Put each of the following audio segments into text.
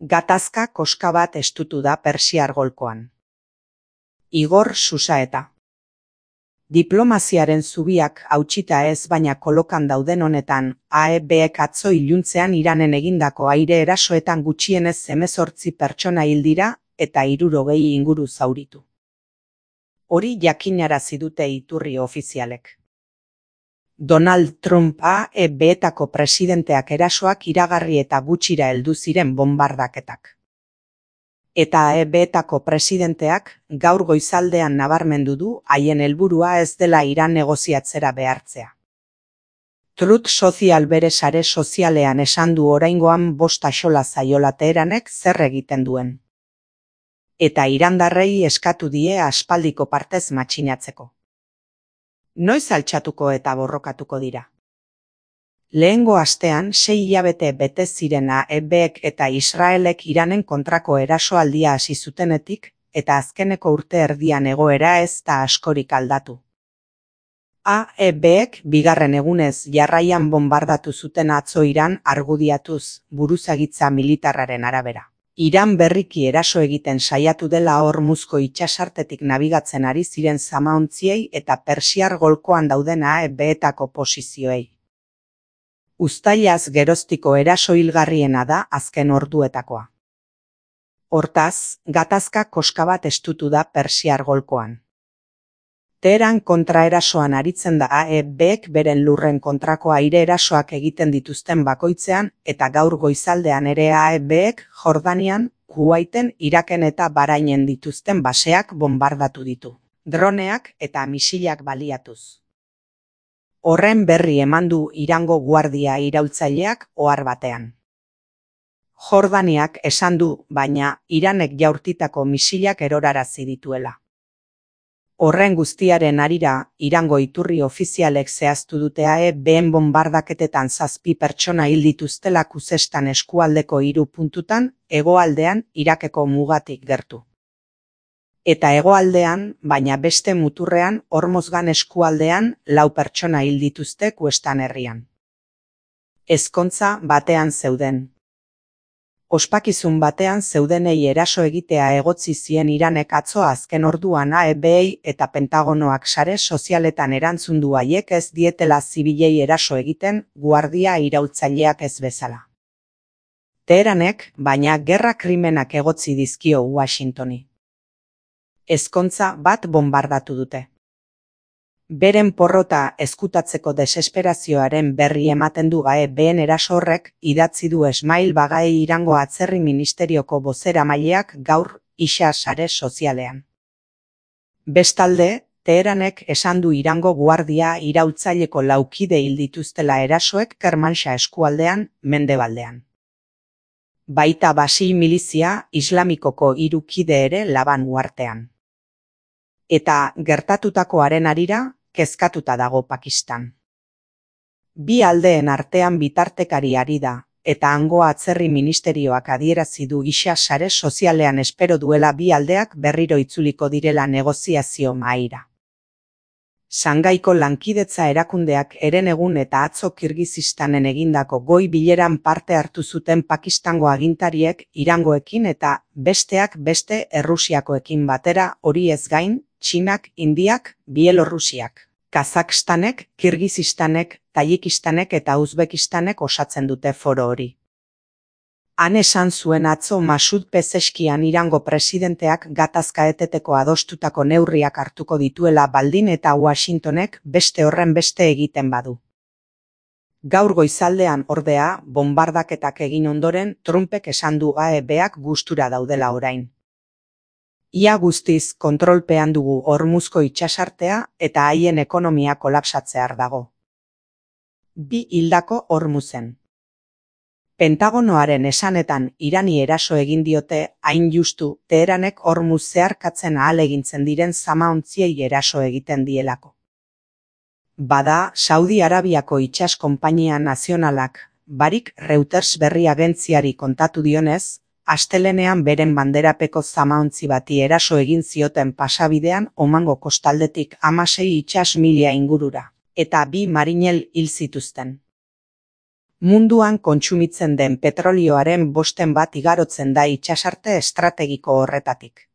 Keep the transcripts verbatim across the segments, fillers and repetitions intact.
Gatazka koska bat estutu da Persiar golkoan. Igor Susaeta. Diplomaziaren zubiak hautsita ez baina kolokan dauden honetan, A E Bek atzo iluntzean Iranen egindako aire erasoetan gutxienez hemezortzi pertsona hil dira eta hirurogei inguru zauritu. Hori jakinarazi dute iturri ofizialek. Donald Trump A E Betako presidenteak erasoak iragarri eta gutxira heldu ziren bonbardaketak. Eta A E Betako presidenteak gaur goizaldean nabarmendu du haien helburua ez dela Iran negoziatzera behartzea. Truth Social bere sare sozialean esan du oraingoan bost axola zaiola Teheranek zer egiten duen. Eta irandarrei eskatu die aspaldiko partez matxinatzeko. Noiz altxatuko eta borrokatuko dira. Lehengo astean sei hilabete bete ziren A E Bek eta Israelek Iranen kontrako erasoaldia hasi zutenetik, eta azkeneko urte erdian egoera ez da askorik aldatu. A E Bek bigarren egunez jarraian bonbardatu zuten atzo Iran argudiatuz, buruzagitza militarraren arabera. Iran berriki eraso egiten saiatu dela Hormuzko itsasartetik nabigatzen ari ziren zamaontziei eta Persiar golkoan dauden A E Betako posizioei. Uztailaz geroztiko eraso hilgarriena da azken orduetakoa. Hortaz, gatazka koska bat estutu da Persiar golkoan. Teheran kontraerasoan aritzen da A E Bek beren lurren kontrako aire erasoak egiten dituzten bakoitzean eta gaur goizaldean ere A E Bek Jordanian, Kuwaiten, Iraken eta Bahrainen dituzten baseak bonbardatu ditu, droneak eta misilak baliatuz. Horren berri eman du Irango guardia iraultzaileak ohar batean. Jordaniak esan du, baina Iranek jaurtitako misilak erorarazi dituela. Horren guztiaren harira, Irango iturri ofizialek zehaztu dute A E Been bonbardaketetan zazpi pertsona hil dituztela Kuzestan eskualdeko hiru puntutan, hegoaldean Irakeko mugatik gertu. Eta hegoaldean, baina beste muturrean, Hormozgan eskualdean, lau pertsona hil dituzte Kuestan herrian. Ezkontza batean zeuden. Ospakizun batean zeudenei eraso egitea egotzi zien Iranek atzo azken orduan A E Bei eta Pentagonoak sare sozialetan erantzun du haiek ez dietela zibilei eraso egiten, guardia iraultzaileak ez bezala. Teheranek, baina gerra krimenak egotzi dizkio Washingtoni. Ezkontza bat bonbardatu dute. Beren porrota ezkutatzeko desesperazioaren berri ematen du A E Been eraso horrek, idatzi du Esmail Bagai Irango Atzerri Ministerioko bozeramaileak gaur isa sare sozialean. Bestalde, Teheranek esan du Irango guardia iraultzaileko laukide hil dituztela erasoek Kermanshah eskualdean, mendebaldean. Baita Basil milizia islamikoko hiru kide ere Laban uhartean. Eta gertatutakoaren harira, kezkatuta dago Pakistan. Bi aldeen artean bitartekari ari da, eta hango atzerri ministerioak adierazi du isa sare sozialean espero duela bi aldeak berriro itzuliko direla negoziazio mahaira. Shangaiko lankidetza erakundeak herenegun eta atzo Kirgizistanen egindako goi bileran parte hartu zuten Pakistango agintariek Irangoekin eta besteak beste Errusiakoekin batera, hori ez gain, Txinak, Indiak, Bielorrusiak, Kazakstanek, Kirgizistanek, Tajikistanek eta Uzbekistanek osatzen dute foro hori. Han esan zuen atzo Masud Pezeskian Irango presidenteak gatazka eteteko adostutako neurriak hartuko dituela baldin eta Washingtonek beste horren beste egiten badu. Gaur goizaldean ordea, bonbardaketak egin ondoren, Trumpek esan du A E Beak gustura daudela orain. Ia guztiz kontrolpean dugu Hormuzko itsasartea eta haien ekonomia kolapsatzear dago. Bi hildako Hormuzen. Pentagonoaren esanetan Irani eraso egin diote, hain justu, Teheranek Hormuz zeharkatzen ahalegintzen diren zamaontziei eraso egiten dielako. Bada, Saudi Arabiako itsas konpainia nazionalak, barik Reuters berri agentziari kontatu dionez, astelenean beren banderapeko zamaontzi bati eraso egin zioten pasabidean Omango kostaldetik hamasei itsas mila ingurura, eta bi marinel hil zituzten. Munduan kontsumitzen den petrolioaren bosten bat igarotzen da itsasarte estrategiko horretatik.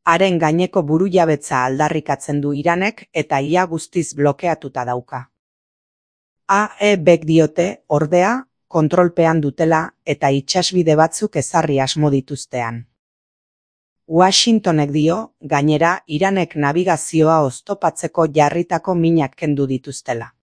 Haren gaineko burujabetza aldarrikatzen du Iranek eta ia guztiz blokeatuta dauka. A E Bek diote, ordea, kontrolpean dutela eta itsasbide batzuk ezarri asmo dituztean. Washingtonek dio, gainera, Iranek nabigazioa oztopatzeko jarritako minak kendu dituztela.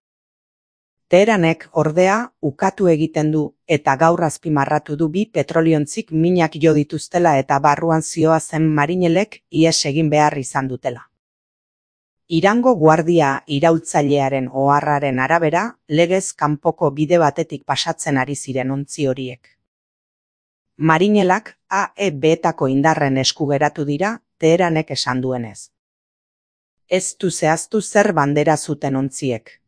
Teheranek, ordea, ukatu egiten du eta gaur azpimarratu du bi petroliontzik minak jo dituztela eta barruan zihoazen marinelek ihes egin behar izan dutela. Irango guardia iraultzailearen oharraren arabera, legez kanpoko bide batetik pasatzen ari ziren ontzi horiek. Marinelak A E Betako indarren esku geratu dira, Teheranek esan duenez. Ez du zehaztu zer bandera zuten ontziek.